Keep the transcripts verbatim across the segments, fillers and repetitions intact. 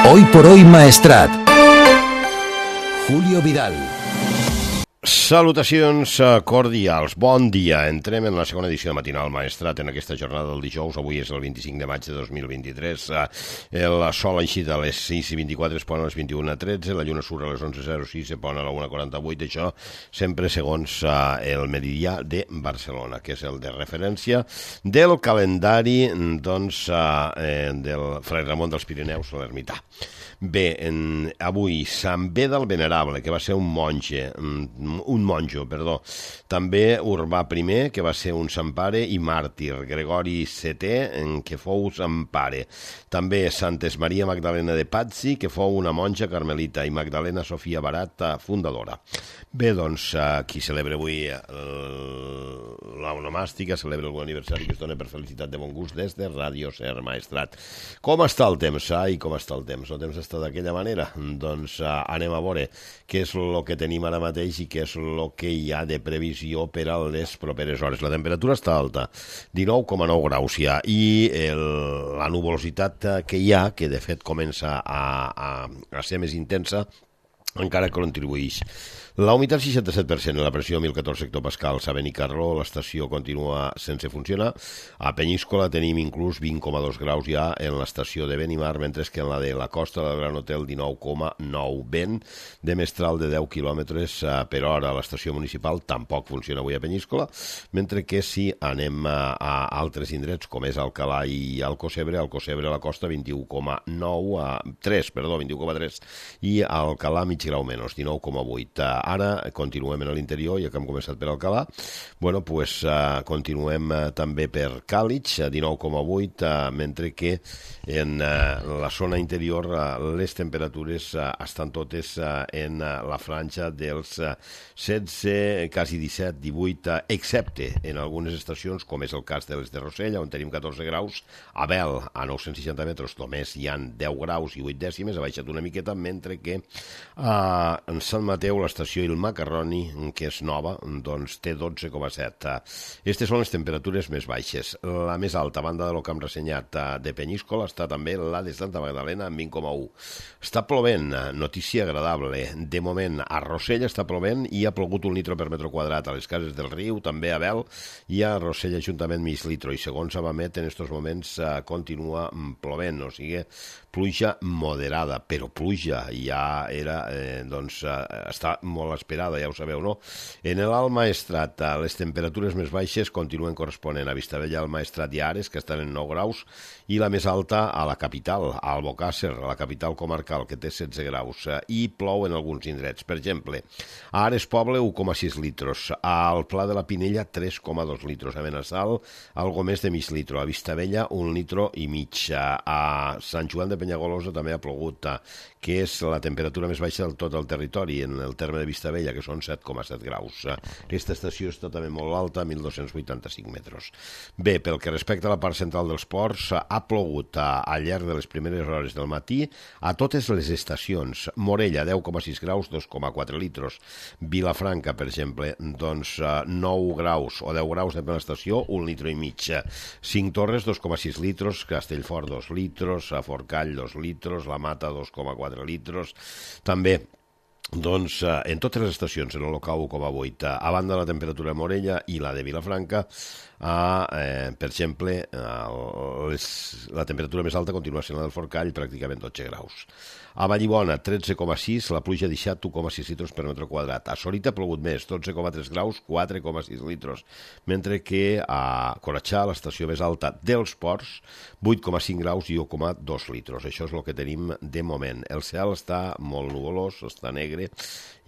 Hoy por hoy Maestrat. Julio Vidal. Salutacions cordials, bon dia. Entrem en la segona edició de Matinal Maestrat en aquesta jornada del dijous. Avui és el vint-i-cinc de maig de dos mil vint-i-tres. El sol ha eixit a les sis i vint-i-quatre, es pon a les vint-i-una tretze, la lluna surt a les onze zero sis, se pon a la una quaranta-vuit. Això sempre segons el meridià de Barcelona, que és el de referència del calendari doncs, del Fray Ramon dels Pirineus a l'Ermità. Bé, en, avui Sant Beda el Venerable, que va ser un monge, un monjo, perdó. També Urbà primer, que va ser un sant pare i màrtir. Gregori setè, que fou sant pare. També Santes Maria Magdalena de Pazzi, que fou una monja carmelita, i Magdalena Sofia Barat, fundadora. Bé, doncs, qui celebra avui l'onomàstica, celebra algun aniversari que es dona per felicitat de bon gust des de Ràdio Ser Maestrat. Com està el temps? Ai, com està el temps? El temps està d'aquella manera? Doncs uh, anem a veure què és el que tenim ara mateix i què és el que hi ha de previsió per a les properes hores. La temperatura està alta, dinou coma nou graus ja, i el, la nuvolositat que hi ha, que de fet comença a, a, a ser més intensa, encara contribueix. La humitat seixanta-set per cent, la pressió mil catorze hectopascals a Benicarló, l'estació continua sense funcionar. A Penyíscola tenim inclús vint coma dos graus ja en l'estació de Benimar, mentre que en la de la costa del Gran Hotel dinou coma nou. Vent de mestral de deu quilòmetres per hora. L'estació municipal tampoc funciona avui a Penyíscola, mentre que si anem a, a altres indrets, com és Alcalà i Alcocebre, Alcocebre a la costa vint-i-u coma nou, a tres, perdó, vint-i-u coma tres, i a Alcalà mig grau menys, dinou coma vuit. Ara continuem en l'interior, ja que hem començat per Alcalà. Bueno, pues, uh, continuem uh, també per Càlig, a dinou coma vuit, uh, mentre que en uh, la zona interior uh, les temperatures uh, estan totes uh, en uh, la franja dels uh, setze, quasi disset, divuit, uh, excepte en algunes estacions, com és el cas de les de Rossell, on tenim catorze graus, a Bel, a nou-cents seixanta metres, només hi ha deu graus i vuit dècimes, ha baixat una miqueta, mentre que uh, en Sant Mateu, l'estació i el Macarroni, que és nova, doncs té dotze coma set. Aquestes són les temperatures més baixes. La més alta, a banda de lo que hem ressenyat de Penyíscola, està també la de Santa Magdalena, amb vint coma u. Està plovent, notícia agradable. De moment, a Rossell està plovent i ha plogut un litro per metre quadrat. A les Cases del Riu, també a Bel, i a Rossell Ajuntament mig litro. I segons Abamet, en aquests moments continua plovent, o sigui, pluja moderada, però pluja ja era, eh, doncs, està molt esperada, ja ho sabeu, no? En l'Alt Maestrat, les temperatures més baixes continuen corresponent a Vistabella, al Maestrat i Ares, que estan en nou graus, i la més alta a la capital, a Albocàsser, a la capital comarcal, que té setze graus, i plou en alguns indrets. Per exemple, a Ares Poble, u coma sis litros, al Pla de la Pinella, tres coma dos litros, a Benassal, algo més de mig litro, a Vistabella, un litro i mig, a Sant Joan de Penyagolosa també ha plogut, que és la temperatura més baixa del tot el territori, en el terme de Vistabella, que són set coma set graus. Aquesta estació està també molt alta, mil dos-cents vuitanta-cinc metres. Bé, pel que respecta a la part central dels ports, ha plogut al llarg de les primeres hores del matí a totes les estacions. Morella, deu coma sis graus, dos coma quatre litros. Vilafranca, per exemple, doncs nou graus o deu graus de per l'estació, un litro i mig. Cinc Torres, dos coma sis litros. Castellfort, dos litros. A Forcall, dos litros. La Mata, dos coma quatre litros. També doncs en totes les estacions, en el local u coma vuit, a banda de la temperatura de Morella i la de Vilafranca, a, eh, per exemple, les, la temperatura més alta continua sent la del Forcall, pràcticament dotze graus. A Vallibona, tretze coma sis, la pluja ha deixat u coma sis litros per metre quadrat. A Sorita ha plogut més, dotze coma tres graus, quatre coma sis litros, mentre que a Corachà, l'estació més alta dels ports, vuit coma cinc graus i u coma dos litros. Això és el que tenim de moment. El cel està molt nuvolós, està negre,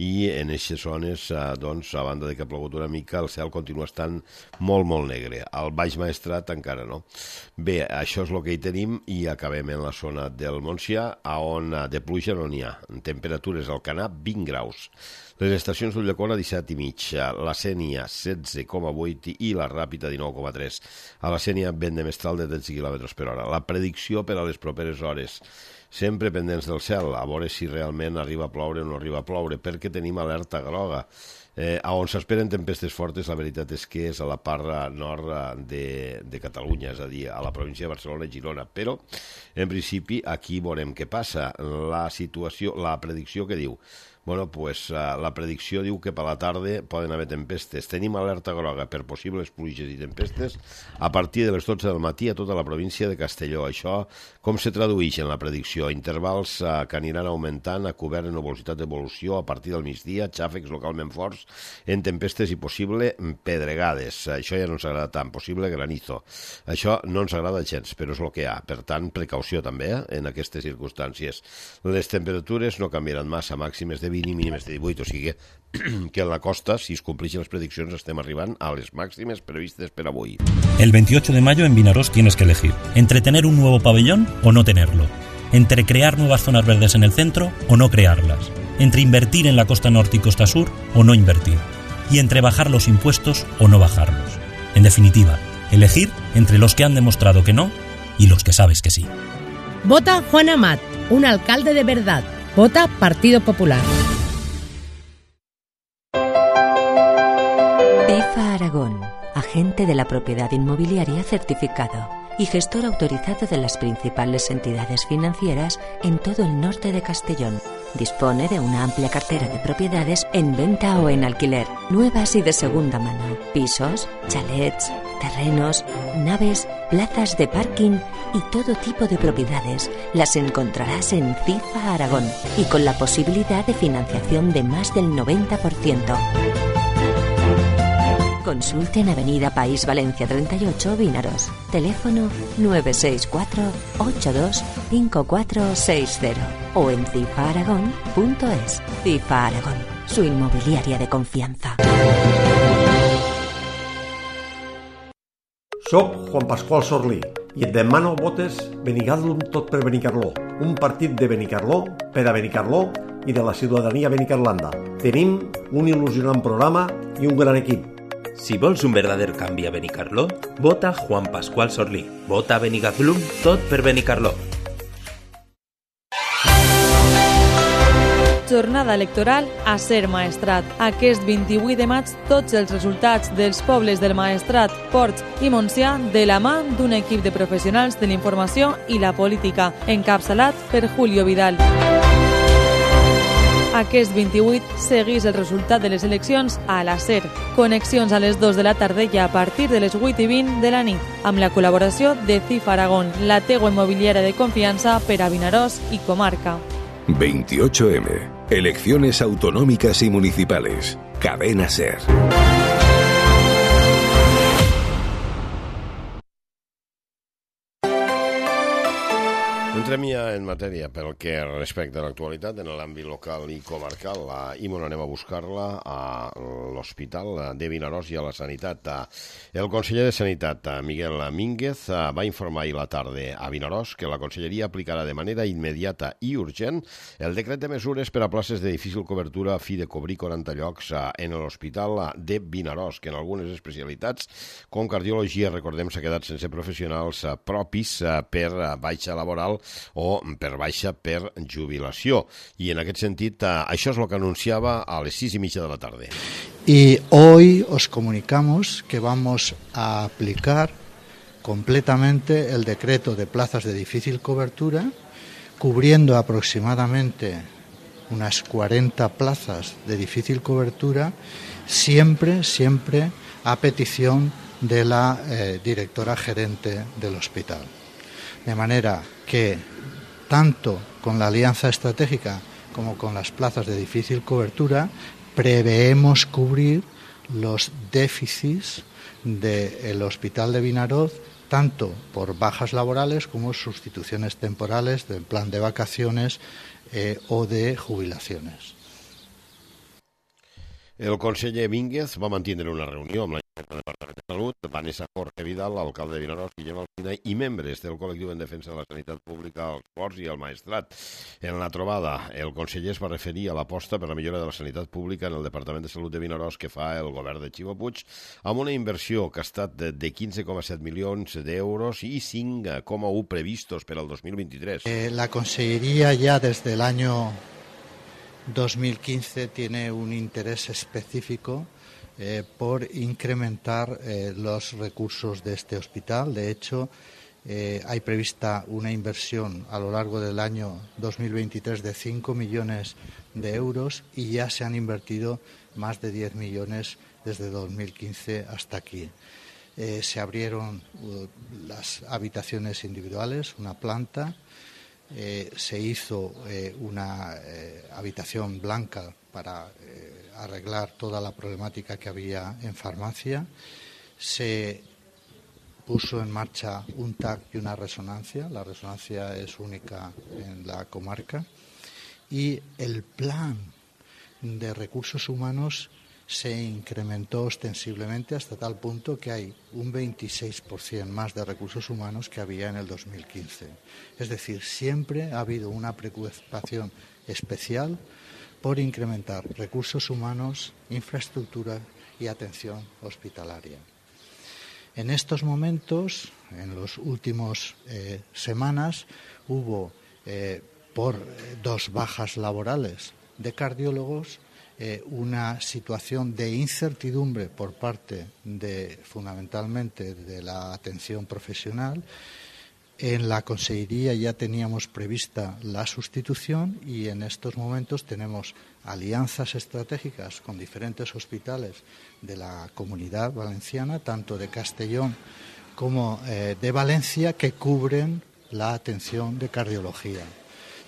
i en aquestes zones, doncs, a banda de que ha plogut una mica, el cel continua estant molt, molt negre. Al Baix Maestrat encara no. Bé, això és el que hi tenim i acabem en la zona del Montsià, on de pluja no n'hi ha. Temperatures al Canà, vint graus. Les estacions d'Ulldecona, disset i mig. La Sénia, setze coma vuit i la Ràpita, dinou coma tres. A la Sénia, vent de mestral de tretze quilòmetres per hora. La predicció per a les properes hores. Sempre pendents del cel, a veure si realment arriba a ploure o no arriba a ploure, perquè tenim alerta groga. Eh, a on s'esperen tempestes fortes, la veritat és que és a la part nord de, de Catalunya, és a dir, a la província de Barcelona i Girona, però en principi aquí veurem què passa. La situació, la predicció que diu, bueno, pues, uh, la predicció diu que per la tarda poden haver tempestes. Tenim alerta groga per possibles pluges i tempestes a partir de les dotze del matí a tota la província de Castelló. Això com se tradueix en la predicció? Intervals uh, que aniran augmentant a cobert de nuvolositat d'evolució a partir del migdia, xàfecs localment forts en tempestes i possible pedregades. Això ja no ens agrada tant, possible granizo. Això no ens agrada gens, però és el que hi ha. Per tant, precaució també eh, en aquestes circumstàncies. Les temperatures no canviaran massa, màximes de vint i mínimes de divuit, o sigui que en la costa, si es compleixen les prediccions, estem arribant a les màximes previstes per avui. El veintiocho de mayo en Vinaròs tienes que elegir entre tener un nuevo pabellón o no tenerlo, entre crear nuevas zonas verdes en el centro o no crearlas, entre invertir en la costa norte y costa sur o no invertir, y entre bajar los impuestos o no bajarlos. En definitiva, elegir entre los que han demostrado que no y los que sabes que sí. Vota Juan Amat, un alcalde de verdad. Vota Partido Popular. FIFA Aragón, agente de la propiedad inmobiliaria certificado y gestor autorizado de las principales entidades financieras en todo el norte de Castellón. Dispone de una amplia cartera de propiedades en venta o en alquiler, nuevas y de segunda mano, pisos, chalets, terrenos, naves, plazas de parking y todo tipo de propiedades. Las encontrarás en FIFA Aragón y con la posibilidad de financiación de más del noventa por ciento. Consulte en Avenida País Valencia treinta y ocho, Vinaròs. Teléfono nueve seis cuatro ocho dos cinco cuatro seis cero o en cifa aragón punto es. FIFA Aragón, su inmobiliaria de confianza. Soc Juan Pasqual Sorlí i et demano votes Benicarló tot per Benicarló, un partit de Benicarló per a Benicarló i de la ciutadania benicarlanda. Tenim un il·lusionant programa i un gran equip. Si vols un verdader canvi a Benicarló, vota Juan Pasqual Sorlí. Vota Benicarló tot per Benicarló. Jornada electoral a Ser Maestrat. Aquest vint-i-vuit de maig, tots els resultats dels pobles del Maestrat, Ports i Montsià de la mà d'un equip de professionals de la informació i la política, encapçalat per Julio Vidal. Aquest vint-i-vuit seguís el resultat de les eleccions a la SER. Connexions a les dues de la tarda i a partir de les vuit i vint de la nit, amb la col·laboració de FIFA Aragón, la teua immobiliària de confiança per a Vinaròs i comarca. veintiocho eme. Elecciones autonómicas y municipales. Cadena SER. Entrem ja en matèria pel que respecta a l'actualitat en l'àmbit local i comarcal. I molt anem a buscar-la a l'Hospital de Vinaròs i a la Sanitat. El conseller de Sanitat, Miguel Mínguez, va informar ahir la tarda a Vinaròs que la conselleria aplicarà de manera immediata i urgent el decret de mesures per a places de difícil cobertura a fi de cobrir quaranta llocs en l'Hospital de Vinaròs, que en algunes especialitats, com cardiologia, recordem, s'ha quedat sense professionals propis per baixa laboral o per baixa per jubilació. I en aquest sentit, això és el que anunciava a les sis y media de la tarde. Y hoy os comunicamos que vamos a aplicar completamente el decreto de plazas de difícil cobertura, cubriendo aproximadamente unas cuarenta plazas de difícil cobertura, siempre, siempre a petición de la eh, directora gerente del hospital. De manera que, tanto con la alianza estratégica como con las plazas de difícil cobertura, preveemos cubrir los déficits del Hospital de Vinaròs, tanto por bajas laborales como sustituciones temporales del plan de vacaciones eh, o de jubilaciones. El conseller Mínguez va mantenir una reunió amb la del Departament de Salut, Vanessa Jorge Vidal, l'alcalde de Vinaròs, Guillem Alsina, i membres del col·lectiu en defensa de la sanitat pública, els Ports i el Maestrat. En la trobada, el conseller es va referir a l'aposta per la millora de la sanitat pública en el Departament de Salut de Vinaròs que fa el govern de Ximo Puig, amb una inversió que ha estat de quinze coma set milions d'euros i cinc coma u previstos per al dos mil vint-i-tres. Eh, la Consellería ya desde el año dos mil quince tiene un interés específico eh, por incrementar eh, los recursos de este hospital. De hecho, eh, hay prevista una inversión a lo largo del año dos mil veintitrés de cinco millones de euros y ya se han invertido más de diez millones desde dos mil quince hasta aquí. Eh, se abrieron uh, las habitaciones individuales, una planta, eh, se hizo eh, una eh, habitación blanca para eh, arreglar toda la problemática que había en farmacia, se puso en marcha un T A C y una resonancia, la resonancia es única en la comarca, y el plan de recursos humanos se incrementó ostensiblemente hasta tal punto que hay un veintiséis por ciento más de recursos humanos que había en el dos mil quince. Es decir, siempre ha habido una preocupación especial por incrementar recursos humanos, infraestructura y atención hospitalaria. En estos momentos, en las últimas eh, semanas, hubo eh, por dos bajas laborales de cardiólogos Eh, una situación de incertidumbre por parte de, fundamentalmente, de la atención profesional. En la Consejería ya teníamos prevista la sustitución y en estos momentos tenemos alianzas estratégicas con diferentes hospitales de la Comunidad Valenciana, tanto de Castellón como eh, de Valencia, que cubren la atención de cardiología.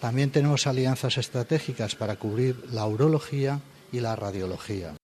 También tenemos alianzas estratégicas para cubrir la urología i la radiologia.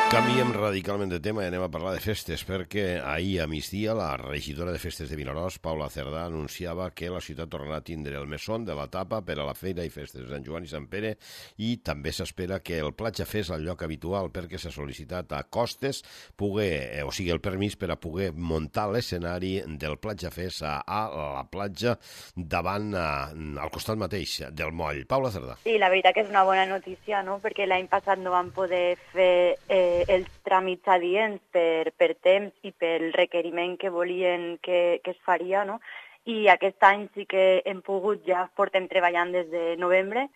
Canviem radicalment de tema i anem a parlar de festes, perquè ahir a migdia la regidora de festes de Vinaròs, Paula Cerdà, anunciava que la ciutat tornarà a tindre el mesón de la tapa per a la Fira i Festes de Sant Joan i Sant Pere, i també s'espera que el Platja Fest, el lloc habitual, perquè s'ha sol·licitat a Costes, poder, o sigui, el permís per a poder muntar l'escenari del Platja Fest a, a la platja davant, a, al costat mateix del moll. Paula Cerdà. Sí, la veritat que és una bona notícia, no?, perquè l'any passat no vam poder fer eh, els tràmits adients per, per temps i pel requeriment que volien que, que es faria, no? I aquest any sí que hem pogut, ja portem treballant des de novembre,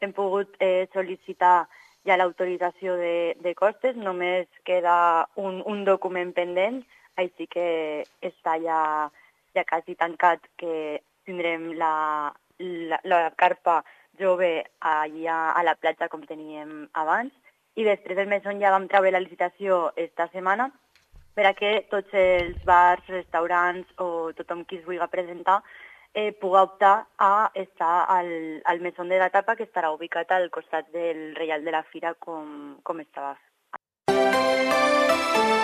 hem pogut eh, sol·licitar ja l'autorització de, de costes, només queda un, un document pendent, així que està ja, ja quasi tancat, que tindrem la, la, la carpa jove allà a la platja com teníem abans. I després del mesón ja vam treure la licitació esta setmana per a que tots els bars, restaurants o tothom qui es vulgui presentar eh, pugui optar a estar al, al mesón de la tapa, que estarà ubicat al costat del Reial de la Fira com, com estava.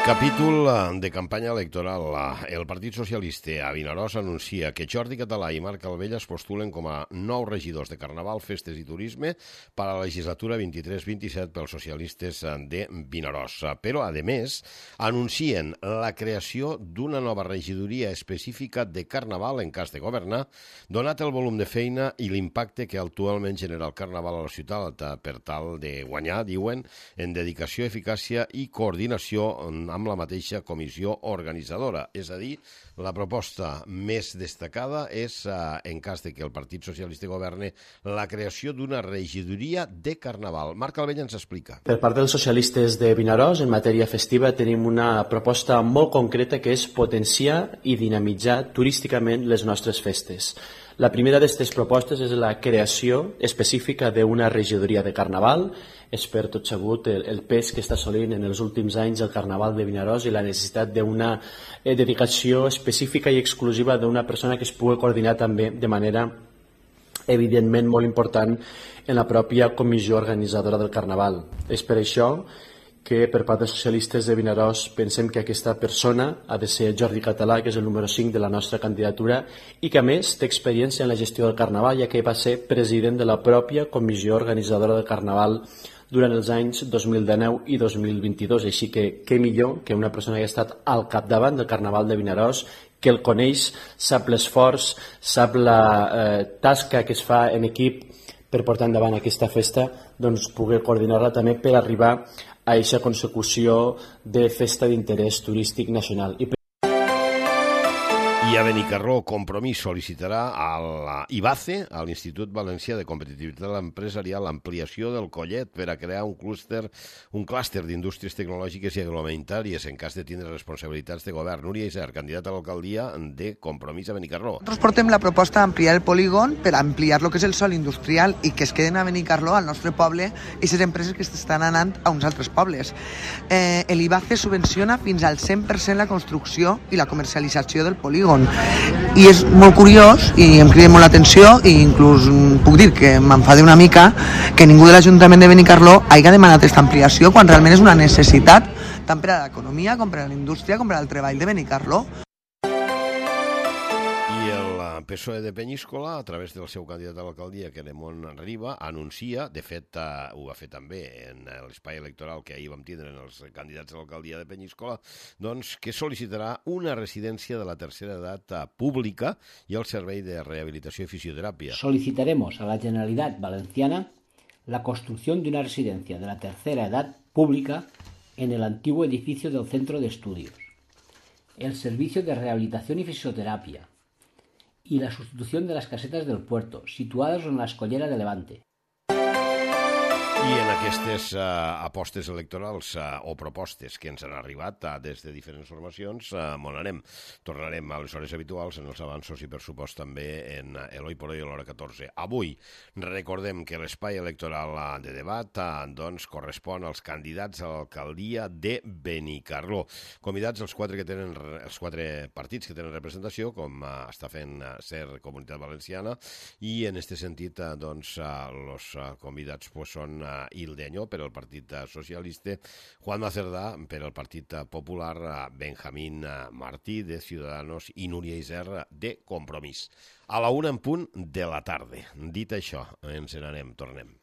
Capítol de campanya electoral. El Partit Socialista a Vinaròs anuncia que Jordi Català i Marc Calvella es postulen com a nous regidors de Carnaval, Festes i Turisme per a la legislatura vint-i-tres vint-i-set pels socialistes de Vinaròs. Però, a més, anuncien la creació d'una nova regidoria específica de Carnaval en cas de governar, donat el volum de feina i l'impacte que actualment genera el Carnaval a la ciutat, per tal de guanyar, diuen, en dedicació, eficàcia i coordinació amb la mateixa comissió organitzadora. És a dir, la proposta més destacada és, en cas de que el Partit Socialista governe, la creació d'una regidoria de Carnaval. Marc Calvella ens explica. Per part dels socialistes de Vinaròs, en matèria festiva, tenim una proposta molt concreta que és potenciar i dinamitzar turísticament les nostres festes. La primera d'aquestes propostes és la creació específica d'una regidoria de Carnaval. És per tot sabut el, el pes que està assolint en els últims anys el Carnaval de Vinaròs i la necessitat d'una eh, dedicació específica i exclusiva d'una persona que es pugui coordinar també de manera evidentment molt important en la pròpia comissió organitzadora del Carnaval. És per això que per part dels socialistes de Vinaròs pensem que aquesta persona ha de ser Jordi Català, que és el número cinc de la nostra candidatura i que a més té experiència en la gestió del Carnaval, ja que va ser president de la pròpia comissió organitzadora del Carnaval durant els anys dos mil dinou i dos mil vint-i-dos, així que què millor que una persona que ha estat al capdavant del Carnaval de Vinaròs, que el coneix, sap l'esforç, sap la eh, tasca que es fa en equip per portar endavant aquesta festa, doncs poder coordinar-la també per arribar a aquesta consecució de festa d'interès turístic nacional. I I a Benicarló, Compromís sol·licitarà a l'IBACE, a l'Institut Valencià de Competitivitat Empresarial, l'ampliació del collet per a crear un clúster, un clúster d'indústries tecnològiques i agroalimentàries en cas de tindre responsabilitats de govern. Núria Isern, candidata a l'alcaldia de Compromís a Benicarló. Nosaltres portem la proposta d'ampliar el polígon per ampliar lo que és el sòl industrial i que es queden a Benicarló, al nostre poble, i les empreses que estan anant a uns altres pobles. Eh, L'IBACE subvenciona fins al cent per cent la construcció i la comercialització del polígon. I és molt curiós i em crida molt l'atenció i inclús puc dir que m'enfada una mica que ningú de l'Ajuntament de Benicarló hagi demanat aquesta ampliació quan realment és una necessitat tant per a l'economia com per a la indústria com per al treball de Benicarló. P S O E de Penyíscola, a través del seu candidat a l'alcaldia, Queremont Riba, anuncia, de fet ho va fer també en l'espai electoral que ahir vam tindre en els candidats a l'alcaldia de Penyíscola, doncs que sol·licitarà una residència de la tercera edat pública i el servei de rehabilitació i fisioterapia. Solicitaremos a la Generalitat Valenciana la construcción de una residencia de la tercera edad pública en el antiguo edificio del Centro de Estudios, el servicio de rehabilitación y fisioterapia, y la sustitución de las casetas del puerto, situadas en la Escollera de Levante. I en aquestes uh, apostes electorals uh, o propostes que ens han arribat uh, des de diferents formacions, uh, on anem? Tornarem a les hores habituals, en els avanços i per supost també en uh, Eloi por hoy a l'hora catorze. Avui recordem que l'espai electoral uh, de debat uh, doncs, correspon als candidats a l'alcaldia de Benicarló. Convidats els quatre, que tenen, els quatre partits que tenen representació, com uh, està fent uh, ser Comunitat Valenciana, i en aquest sentit uh, doncs, uh, els uh, convidats pues, són uh, Ildeño per al Partit Socialista, Juan Macerdà per al Partit Popular, Benjamín Martí de Ciudadanos i Núria Isern de Compromís. A la una en punt de la tarda. Dit això, ens n'anem, tornem.